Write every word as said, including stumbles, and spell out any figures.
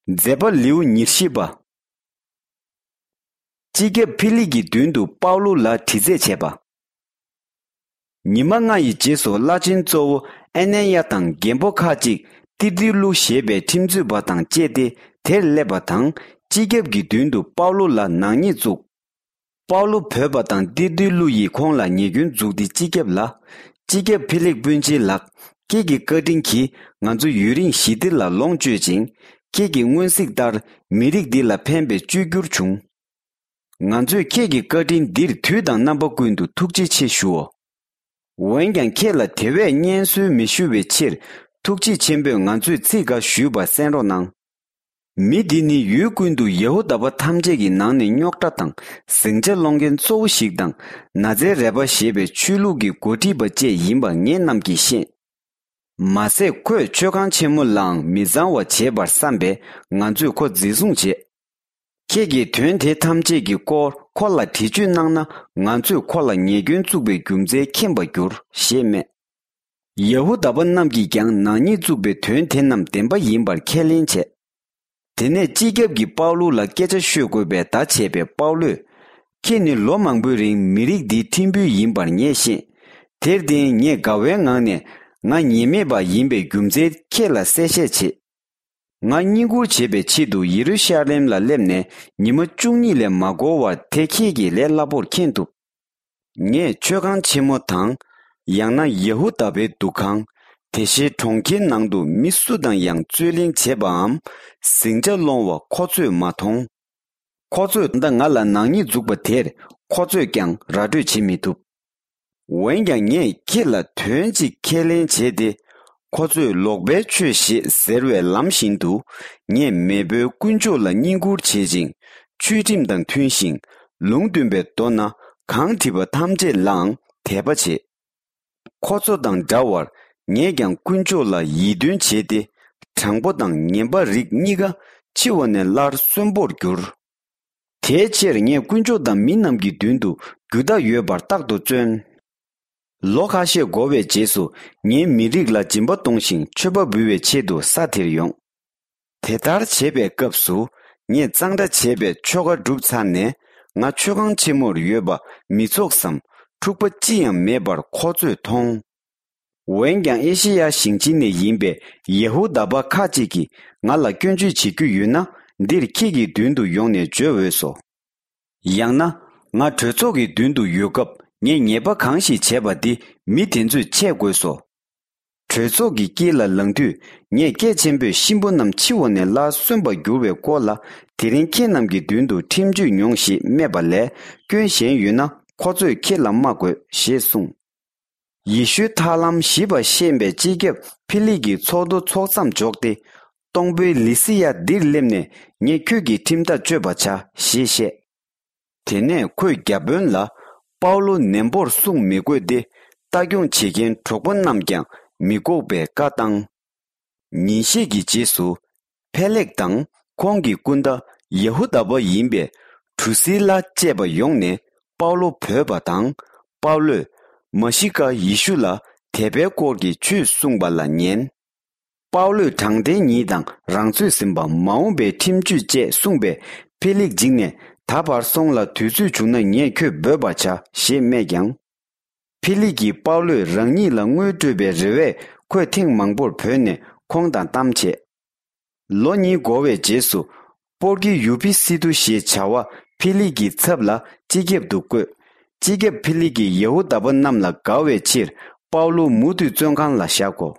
མཛད་པ་ལེའུ་ཉེར་བཞི་པ། སྤྱི་ཁྱབ་ཕི་ལིག་གི་མདུན་དུ་པའུ་ལུ་ལ་དྲི་རྩད་བྱས་པ། ཉི་མ་ལྔ་ཡི་རྗེས་སུ་བླ་ཆེན་གཙོ་བོ་ཨེ་ནན་ཡ་དང་རྒན་པོ་ཁ་ཅིག་ཏི་ཏི་ལུ་ཞེས་པའི་ཁྲིམས་རྩོད་པ་དང་བཅས་ཏེ་དེར་སླེབས་པ་དང་། སྤྱི་ཁྱབ་ཀྱི་མདུན་དུ་པའུ་ལུ་ལ་ནག་ཉེས་བཙུགས། པའུ་ལུ་བོས་པ་དང་ཏི་ཏི་ལུ་ཡིས་ཁོང་ལ་ཉེས་སྐྱོན་འཛུགས་ཏེ། སྤྱི་ཁྱབ་ལ། སྤྱི་ཁྱབ་ཕི་ལིག་སྤུན་མཆེད་ལགས། ཁྱེད་ཀྱི་བཀའ་དྲིན་གྱིས་ང་ཚོ་ཡུན་རིང་ཞི་བདེ་ལ་ལོངས་སྤྱོད་ཅིང་། ཁྱེད་ཀྱི་སྔོན་གཟིགས་ལྟར་མི་རིགས་འདི་ལ་ཕན་པའི་བཅོས་བསྒྱུར་བྱུང་། ང་ཚོས་ཁྱེད་ཀྱི་བཀའ་དྲིན་འདིར་དུས་དང་རྣམ་པ་ཀུན་ཏུ་ཐུགས་རྗེ་ཆེ་ཞུའོ། འོན་ཀྱང་ཁྱེད་ལ་དེ་བས་སྙན་གསོལ་མི་ཞུ་བའི་ཕྱིར། ཐུགས་རྗེ་ཆེན་པོས་ང་ཚོས་ཚིག་འགའ་ཞུས་པ་གསན་རོགས་གནང་། མི་འདི་ནི་ཡུལ་ཀུན་ཏུ་ཡ་ཧུ་དཱ་པ་ཐམས་ཅད་ཀྱི་ནང་ནས་རྙོག་དྲ་དང་ཟིང་ཆ་སློང་མཁན་གཙོ་བོ་ཞིག་དང་། ན་ཛའི་རས་པ་ཞེས་པའི་ཆོས་ལུགས་ཀྱི་འགོ་ཁྲིད་པ་བཅས་ཡིན་པ་ངེད་རྣམས་ཀྱིས་ཤེས། མ་ཟད་ཁོས་མཆོད་ཁང་ཆེན་མོ་ལའང་མི་གཙང་བ་བྱེད་པར་བསམ་པས་ང་ཚོས་ཁོ་འཛིན་བཟུང་བྱས། ཁྱེད་ཀྱིས་དོན་དེ་ཐམས་ཅད་ཀྱི་སྐོར་ཁོ་ལ་འདྲི་གཅོད་གནང་ན། ང་ཚོས་ཁོ་ལ་ཉེས་སྐྱོན་བཙུགས་པའི་རྒྱུ་མཚན་མཁྱེན་པར་འགྱུར་ཞེས་སྨྲས། ཡ་ཧུ་དཱ་པ་རྣམས་ཀྱིས་ཀྱང་ནག་ཉེས་བཙུགས་པའི་དོན་དེ་རྣམས་བདེན་པ་ཡིན་པར་ཁས་ལེན་བྱས། དེ་ནས་སྤྱི་ཁྱབ་ཀྱིས་པའུ་ལུ་ལ་སྐད་ཆ་ཤོད་དགོས་པའི་བརྡ་བྱས་པས། པའུ་ལུས། ཁྱེད་ནི་ལོ་མང་པོའི་རིང་མི་རིགས་འདིའི་ཁྲིམས་དཔོན་ཡིན་པར་ངས་ཤེས། དེར་བརྟེན་ངས་དགའ་བའི་ངང་ནས་ང་ཉེས་མེད་པ་ཡིན་པའི་རྒྱུ་མཚན་ཁྱེད་ལ་གསལ་བཤད་བྱེད། ང་བསྙེན་བཀུར་བྱེད་པའི་ཆེད་དུ་ཡེ་རུ་ཤ་ལེམ་ལ་སླེབས་ནས་ཉི་མ་བཅུ་གཉིས་ལས་མ་འགོར་བར་དེ་ཁྱེད་ཀྱིས་ལས་སླ་པོར་མཁྱེན་ཐུབ། ངས་མཆོད་ཁང་ཆེན་མོ་དང་། ཡང་ན་ཡ་ཧུ་དཱ་པའི་འདུ་ཁང་། དེ་བཞིན་གྲོང་ཁྱེར་ནང་དུ་མི་སུ་དང་ཡང་རྩོད་གླེང་བྱེད་པའམ་ཟིང་ཆ་སློང་བ་ཁོ་ཚོས་མ་མཐོང་། ཁོ་ཚོས་ད་ལྟ་ང་ལ་ནག་ཉེས་འཛུགས་པ་དེར་ཁོ་ཚོས་ཀྱང་ར་སྤྲོད་བྱེད་མི་ཐུབ། འོན་ཀྱང་ངས་ཁྱེད་ལ་དོན་གཅིག་ཁས་ལེན་བྱས་ཏེ། ཁོ་ཚོས་ལོག་པའི་ཆོས་ཞེས་ཟེར་བའི་ལམ་བཞིན་དུ། ངས་མེས་པོའི་དཀོན་མཆོག་ལ་བསྙེན་བཀུར་བྱེད་ཅིང་། ཆོས་ཁྲིམས་དང་མཐུན་ཞིང་། ལུང་སྟོན་པའི་མདོ་ན་གང་བྲིས་པ་ཐམས་ཅད་ལའང་དད་པ་བྱེད། ཁོ་ཚོ་དང་འདྲ་བར་ངས་ཀྱང་དཀོན་མཆོག་ལ་ཡིད་རྟོན་བྱས་ཏེ། དྲང་པོ་དང་ངན་པ་རིགས་གཉིས་ཀ་འཆི་བ་ནས་སླར་གསོན་པོར་འགྱུར། དེའི་ཕྱིར་ངས་དཀོན་མཆོག་དང་མི་རྣམས་ཀྱི་མདུན་དུ་རྒྱུ་དག་ཡོད་པར་རྟག་ཏུ་བརྩོན། ལོ་ཁ་ཤས་འགོར་བའི་རྗེས་སུ་ངའི་མི་རིགས་ལ་སྦྱིན་པ་གཏོང་ཞིང་མཆོད་པ་འབུལ་བའི་ཆེད་དུ་ས་དེར་ཡོང་། དེ་ལྟར་བྱེད་པའི་སྐབས་སུ། ངས་གཙང་སྦྲ་བྱས་པའི་ཆོ་ག་བསྒྲུབས་ཚར་ནས། ང་མཆོད་ཁང་ཆེན་མོར་ཡོད་པ་མི་ཚོགས་སམ་འཁྲུག་པ་ཅི་ཡང་མེད་པར་ཁོ་ཚོས་མཐོང་། འོན་ཀྱང་ཨེ་ཤེ་ཡ་ཞིང་ཆེན་ནས་ཡིན་པའི་ཡ་ཧུ་དཱ་པ་ཁ་ཅིག་གིས་ང་ལ་སྐྱོན་བརྗོད་བྱེད་རྒྱུ་ཡོད་ན། འདིར་ཁྱེད་ཀྱི་མདུན་དུ་ཡོང་ནས་བརྗོད་འོས་སོ། ཡང་ན། ང་གྲོས་ཚོགས་ཀྱི་མདུན་དུ་ཡོད་སྐབས་ངས་ཉེས་པ་གང་ཞིག་བྱས་པ་འདི་མི་དེ་ཚོས་འཆད་དགོས་སོ། གྲོས་ཚོགས་ཀྱི་དཀྱིལ་ལ་ལངས་དུས། ངས་སྐད་ཆེན་པོས་གཤིན་པོ་རྣམས་འཆི་བ་ནས་སླར་གསོན་པར་འགྱུར་བའི་སྐོར་ལ། དེ་རིང་ཁྱེད་རྣམས་ཀྱི་མདུན་དུ་ཁྲིམས་གཅོད་མྱོང་ཞེས་སྨྲས་པ་ལས། སྐྱོན་གཞན་ཡོད་ན་ཁོ་ཚོས་ཁྱེད་ལ་སྨྲ་དགོས་ཞེས་གསུངས། ཡེ་ཤུའི་ཐར་ལམ་ཞིབ་པར་ཤེས་པའི་སྤྱི་ཁྱབ་ཕི་ལིག་གིས་ཚོགས་འདུ་ཚོགས་མཚམས་འཇོག་སྟེ། སྟོང་དཔོན་ལི་སི་ཡ་འདིར་སླེབས་ནས་ངས་ཁྱོད་ཀྱི་ཁྲིམས་ཐག་གཅོད་པར་བྱ་ཞེས་བཤད། དེ་ནས་ཁོས་བརྒྱ་དཔོན་ལ། པའུ་ལུ་ནན་པོར་སྲུང་མི་དགོས་ཏེ། ལྟ་སྐྱོང་བྱེད་མཁན་གྲོགས་པོ་རྣམས་ཀྱང་མི་འགོག་པའི་བཀའ་བཏང་། ཉིན་ཤས་ཀྱི་རྗེས་སུ། ཕེ་ལེག་དང་ཁོང་གི་སྐུ་ཟླ་ཡ་ཧུ་དཱ་པ་ཡིན་པའི་གྲུ་སི་ལ་བཅས་པ་ཡོང་ནས་པའུ་ལོ་བོས་པ་དང་། པའུ་ལོས་མ་ཤི་ཀ་ཡེ་ཤུ་ལ་དད་པའི་སྐོར་གྱི་ཆོས་གསུངས་པ་ལ་ཉན། པའུ་ལོས་དྲང་བདེན་ཉིད་དང་རང་ཚོད་ཟིན་པ། མ་འོངས་པའི་ཁྲིམས་གཅོད་བཅས་གསུངས་པས། ཕེ་ལེག་འཇིགས་ནས། ད་བར་སོང་ལ། དུས་ཚོད་བྱུང་ན་ངས་ཁྱོད་འབོད་པར་བྱ་ཞེས་སྨྲས་ཀྱང་། ཕི་ལིག་གིས་པའུ་ལོས་རང་ཉིད་ལ་དངུལ་སྤྲོད་པའི་རེ་བས། ཁོས་ཐེངས་མང་པོར་བོས་ནས་ཁོང་དང་གཏམ་བྱས། ལོ་གཉིས་འགོར་བའི་རྗེས་སུ། པོར་ཀི་ཡུ་པི་སི་ཏུ་ཞེས་བྱ་བ་ཕི་ལིག་གི་ཚབ་ལ་སྤྱི་ཁྱབ་ཏུ་བསྐོས། སྤྱི་ཁྱབ་ཕི་ལིག་གིས་ཡ་ཧུ་དཱ་པ་རྣམས་ལ་དགའ་བའི་ཕྱིར། པའུ་ལོ་མུ་མཐུད་བཙོན་ཁང་ལ་བཞག་གོ།